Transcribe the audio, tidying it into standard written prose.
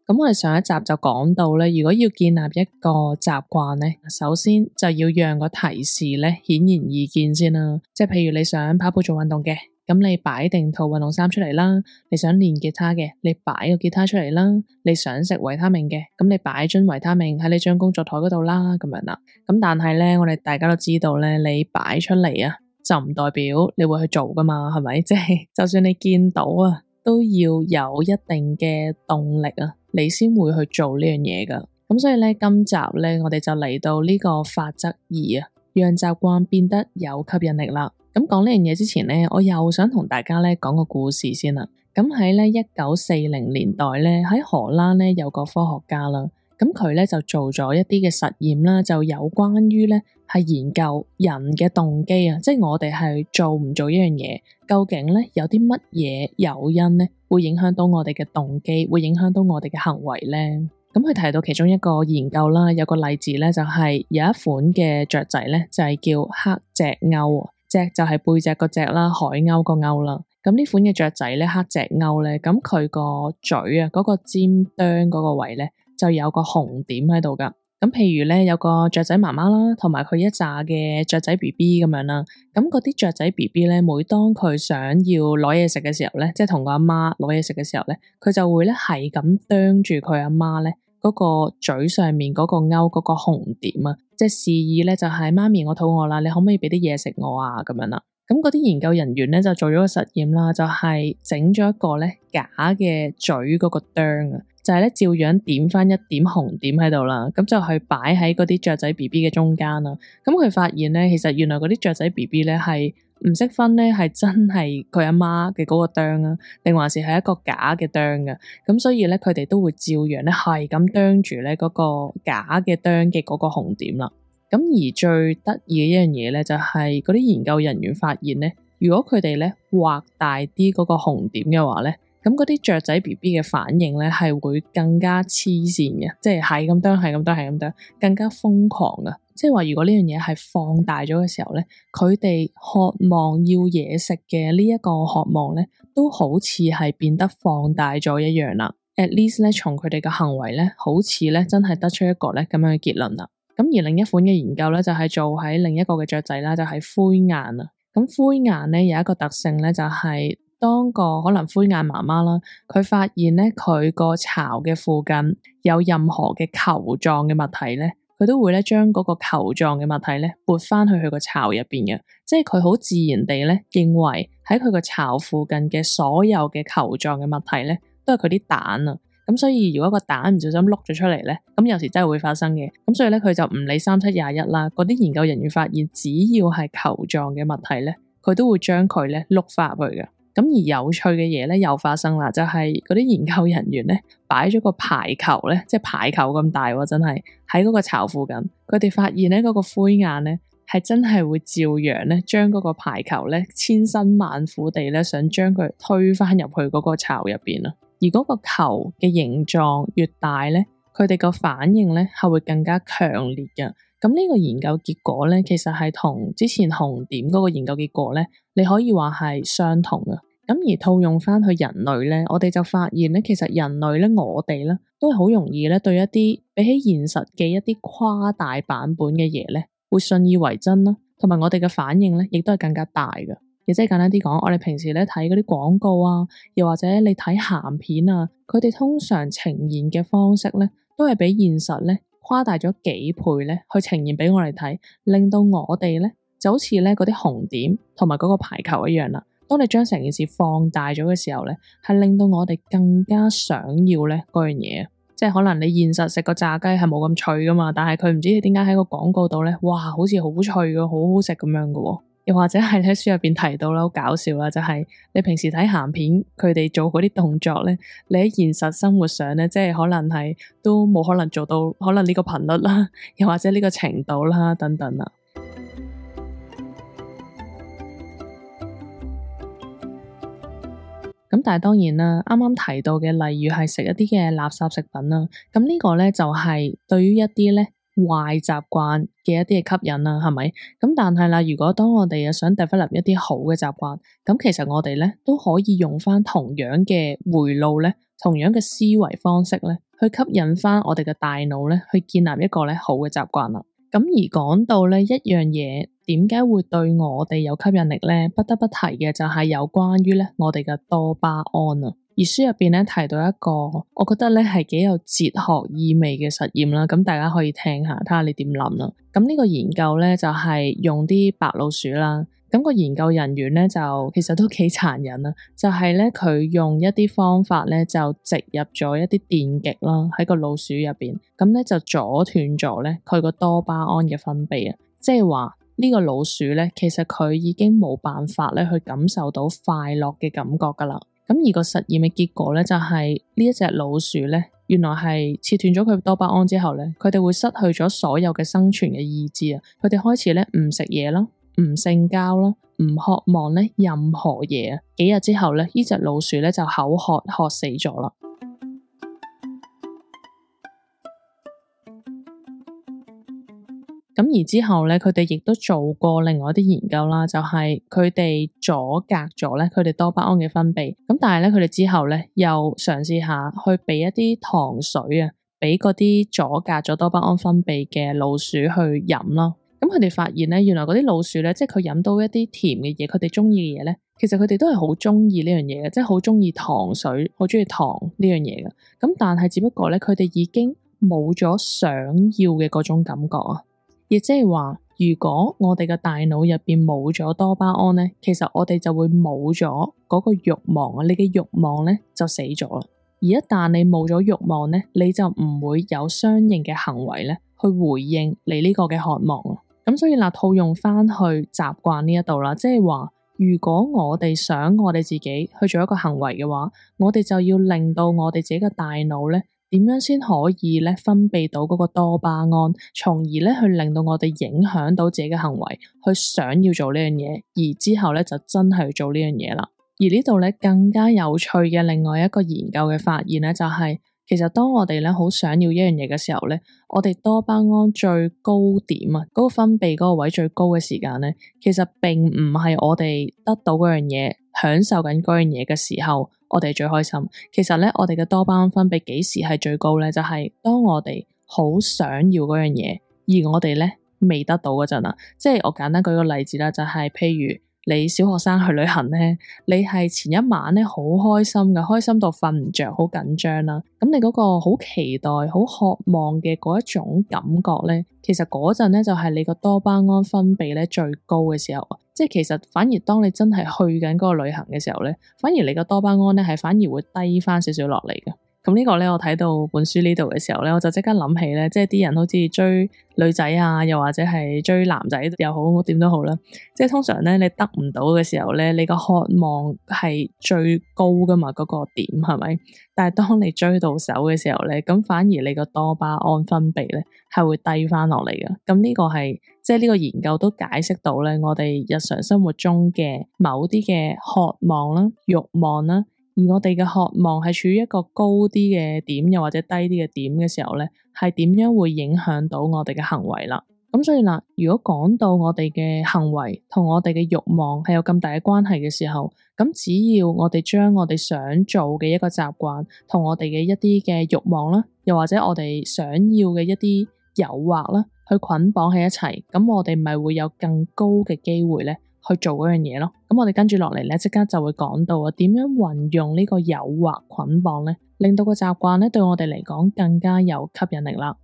咁我哋上一集就講到咧，如果要建立一個習慣咧，首先就要讓個提示咧顯而易見先啦。即係譬如你想跑步做運動嘅，咁你擺定套運動衫出嚟啦；你想練吉他嘅，你擺個吉他出嚟啦；你想食維他命嘅，咁你擺樽維他命喺你張工作台嗰度啦，咁樣啦。咁但係咧，我哋大家都知道咧，你擺出嚟啊，就唔代表你會去做噶嘛，係咪？即係就算你見到啊，都要有一定嘅動力啊，你先會去做呢樣嘢噶。咁所以咧，今集咧，我哋就嚟到呢個法則2啊，讓習慣變得有吸引力啦。咁講呢樣嘢之前咧，我又想同大家咧講個故事先啦。咁喺咧1940年代咧，喺荷蘭咧有個科學家啦，咁佢咧就做咗一啲嘅實驗啦，就有關於咧係研究人嘅動機啊，即係我哋係做唔做一樣嘢，究竟咧有啲乜嘢誘因咧會影響到我哋嘅動機，會影響到我哋嘅行為咧。咁佢提到其中一個研究啦，有個例子咧就係有一款嘅雀仔咧就係叫黑脊鷗，脊就係背脊個脊啦，海鷗個鷗啦。咁呢款嘅雀仔咧，黑脊鷗咧，咁佢個嘴啊，嗰個尖端嗰個位咧就有個紅點喺度噶。咁譬如咧有個雀仔媽媽啦，同埋佢一紮嘅雀仔 BB 咁樣啦。咁嗰啲雀仔 BB 咧，每當佢想要攞嘢食嘅時候咧，即係同個阿媽攞嘢食嘅時候咧，佢就會咧係咁啄住佢阿媽咧嗰個嘴上面嗰個鷗嗰個紅點啊，即係示意咧就係媽咪我肚餓啦，你可唔可以俾啲嘢食我啊？咁樣啦。咁嗰啲研究人員咧就做咗個實驗啦，就係整咗一個咧假嘅嘴嗰個啄啊，就係咧照樣點翻一點紅點喺度啦，咁就去擺喺嗰啲雀仔 BB 嘅中間啦。咁佢發現咧，其實原來嗰啲雀仔 BB 咧係唔識分咧，係真係佢阿媽嘅嗰個啄啊，定還是係一個假嘅啄嘅。咁所以咧，佢哋都會照樣咧係咁啄住咧嗰個假嘅啄嘅嗰個紅點啦。咁而最得意嘅一樣嘢咧，就係嗰啲研究人員發現咧，如果佢哋咧畫大啲嗰個紅點嘅話咧，咁嗰啲雀仔 BB 嘅反應咧係會更加黐線嘅，即係咁啄，係咁啄，係咁啄，更加瘋狂啊！即係話如果呢樣嘢係放大咗嘅時候咧，佢哋渴望要嘢食嘅呢一個渴望咧，都好似係變得放大咗一樣啦。At least 咧，從佢哋嘅行為咧，好似咧真係得出一個咧咁樣嘅結論啦。咁而另一款嘅研究咧，就係做喺另一個嘅雀仔啦，就係灰雁啊。咁灰雁咧有一個特性咧，就係當個可能灰雁媽媽啦，佢發現咧佢個巢嘅附近有任何嘅球狀嘅物體咧，佢都會咧將嗰個球狀嘅物體咧撥翻去佢個巢入邊嘅，即係佢好自然地咧認為喺佢個巢附近嘅所有嘅球狀嘅物體咧，都係佢啲蛋啊。咁所以如果個蛋唔小心碌咗出嚟咧，咁有時真係會發生嘅。咁所以咧佢就唔理3721啦。嗰啲研究人員發現，只要係球狀嘅物體咧，佢都會將佢咧碌翻入去嘅。咁而有趣嘅嘢咧又發生啦，就係嗰啲研究人員咧擺咗個排球咧，即係排球咁大喎，真係喺嗰個巢附近。佢哋發現咧嗰個灰雁咧係真係會照樣咧將嗰個排球咧千辛萬苦地咧想將佢推翻入去嗰個巢入邊啊。而嗰個球嘅形狀越大咧，佢哋個反應咧係會更加強烈嘅。咁呢個研究結果咧，其實係同之前紅點嗰個研究結果咧，你可以話係相同嘅。咁而套用翻去人類咧，我哋就發現咧，其實人類咧，我哋咧都係好容易咧對一啲比起現實嘅一啲誇大版本嘅嘢咧，會信以為真啦，同埋我哋嘅反應咧，亦都係更加大嘅。亦即係簡單啲講，我哋平時咧睇嗰啲廣告啊，又或者你睇鹹片啊，佢哋通常呈現嘅方式咧，都係比現實咧誇大咗幾倍咧，去呈現俾我哋睇，令到我哋咧就好似咧嗰啲紅點同埋嗰個排球一樣啦。當你將成件事放大咗嘅時候咧，係令到我哋更加想要咧嗰樣嘢。即係可能你現實食個炸雞係冇咁脆噶嘛，但係佢唔知點解喺個廣告度咧，哇，好似好脆嘅，好好食咁樣嘅。又或者係喺書入邊提到啦，好搞笑啦，就係你平時睇鹹片，佢哋做嗰啲動作咧，你喺現實生活上咧，即係可能係都冇可能做到，可能呢個頻率啦，又或者呢個程度啦，等等啦。咁但係當然啦，啱啱提到嘅，例如係食一啲嘅垃圾食品啦，咁呢個咧就係對於一啲咧壞習慣嘅一啲嘅吸引啦，係咪？咁但係啦，如果當我哋又想 develop 一啲好嘅習慣，咁其實我哋咧都可以用翻同樣嘅回路咧，同樣嘅思維方式咧，去吸引翻我哋嘅大腦咧，去建立一個咧好嘅習慣啦。咁而講到咧一樣嘢，點解會對我哋有吸引力咧？不得不提嘅就係有關於咧我哋嘅多巴胺啊。而書入邊咧提到一個，我覺得咧係幾有哲學意味嘅實驗啦。咁大家可以聽下，睇下你點諗啦。咁呢個研究咧就係用啲白老鼠啦。咁個研究人員咧就其實都幾殘忍啊，就係咧佢用一啲方法咧就植入咗一啲電極啦喺個老鼠入邊，咁咧就阻斷咗咧佢個多巴胺嘅分泌啊，即係話呢個老鼠咧其實佢已經冇辦法咧去感受到快樂嘅感覺噶啦。咁而個實驗嘅結果咧就係呢一隻老鼠咧，原來係切斷咗佢多巴胺之後咧，佢哋會失去咗所有嘅生存嘅意志啊，佢哋開始咧唔食嘢啦，唔性交啦，唔渴望咧任何嘢啊！幾日之後咧，呢隻老鼠咧就口渴死咗啦。咁而之後咧，佢哋亦都做過另外一啲研究啦，就係佢哋阻隔咗咧佢哋多巴胺嘅分泌。咁但係咧，佢哋之後咧又嘗試下去俾一啲糖水啊，俾嗰啲阻隔咗多巴胺分泌嘅老鼠去飲啦。咁佢哋發現咧，原來嗰啲老鼠咧，即係佢飲到一啲甜嘅嘢，佢哋中意嘅嘢咧，其實佢哋都係好中意呢樣嘢嘅，即係好中意糖水，好中意糖呢樣嘢嘅。咁但係只不過咧，佢哋已經冇咗想要嘅嗰種感覺啊。亦即係話，如果我哋嘅大腦入邊冇咗多巴胺咧，其實我哋就會冇咗嗰個慾望啊，你嘅慾望咧就死咗啦。而一旦你冇咗慾望咧，你就唔會有相應嘅行為咧去回應你呢個嘅渴望啊。咁所以嗱，套用翻去習慣呢一度啦，即係話，如果我哋想我哋自己去做一個行為嘅話，我哋就要令到我哋自己嘅大腦咧，點樣先可以咧分泌到嗰個多巴胺，從而咧去令到我哋影響到自己嘅行為，去想要做呢樣嘢，而之後咧就真係做呢樣嘢啦。而呢度咧更加有趣嘅另外一個研究嘅發現咧，就係其實當我哋咧好想要一樣嘢嘅時候咧，我哋多巴胺最高點啊，嗰個分泌嗰個位最高嘅時間咧，其實並唔係我哋得到嗰樣嘢，享受緊嗰樣嘢嘅時候，我哋最開心。其實咧，我哋嘅多巴胺分泌幾時係最高咧？就係當我哋好想要嗰樣嘢，而我哋咧未得到嗰陣啊。即係我簡單舉個例子啦，就係譬如你小學生去旅行咧，你係前一晚咧好開心嘅，開心到瞓唔着，好緊張啦。咁你嗰個好期待、好渴望嘅嗰一種感覺咧，其實嗰陣咧就係你個多巴胺分泌咧最高嘅時候。即係其實反而當你真係去緊嗰個旅行嘅時候咧，反而你個多巴胺咧係反而會低翻少少落嚟嘅。咁呢個咧，我睇到本書呢度嘅時候咧，我就即刻諗起咧，即係啲人好似追女仔啊，又或者係追男仔又好，點都好啦。即係通常咧，你得唔到嘅時候咧，你個渴望係最高噶嘛，嗰個點係咪？但係當你追到手嘅時候咧，咁反而你個多巴胺分泌咧係會低翻落嚟嘅。咁呢個係即係呢個研究都解釋到咧，我哋日常生活中嘅某啲嘅渴望啦、慾望啦。而我哋嘅渴望係處於一個高啲嘅點，又或者低啲嘅點嘅時候咧，係點樣會影響到我哋嘅行為啦？咁所以嗱，如果講到我哋嘅行為同我哋嘅慾望係有咁大嘅關係嘅時候，咁只要我哋將我哋想做嘅一個習慣同我哋嘅一啲嘅慾望啦，又或者我哋想要嘅一啲誘惑啦，去捆綁喺一齊，咁我哋咪會有更高嘅機會咧去做嗰樣嘢咯。咁我哋跟住落嚟咧，即刻就會講到啊，點樣運用呢個誘惑捆綁咧，令到個習慣咧對我哋嚟講更加有吸引力啦。